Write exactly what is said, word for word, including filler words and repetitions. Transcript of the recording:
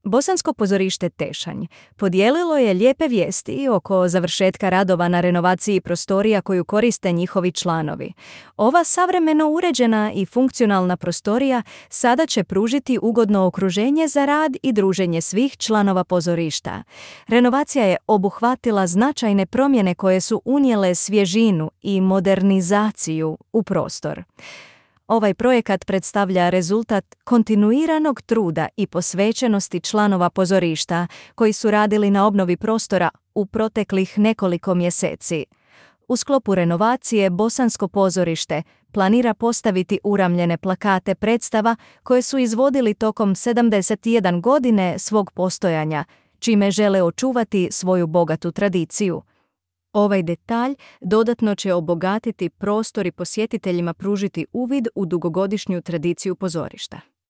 Bosansko pozorište Tešanj podijelilo je lijepe vijesti oko završetka radova na renovaciji prostorija koju koriste njihovi članovi. Ova savremeno uređena i funkcionalna prostorija sada će pružiti ugodno okruženje za rad i druženje svih članova pozorišta. Renovacija je obuhvatila značajne promjene koje su unijele svježinu i modernizaciju u prostor. Ovaj projekat predstavlja rezultat kontinuiranog truda i posvećenosti članova pozorišta koji su radili na obnovi prostora u proteklih nekoliko mjeseci. U sklopu renovacije Bosansko pozorište planira postaviti uramljene plakate predstava koje su izvodili tokom sedamdeset jedan godine svog postojanja, čime žele očuvati svoju bogatu tradiciju. Ovaj detalj dodatno će obogatiti prostor i posjetiteljima pružiti uvid u dugogodišnju tradiciju pozorišta.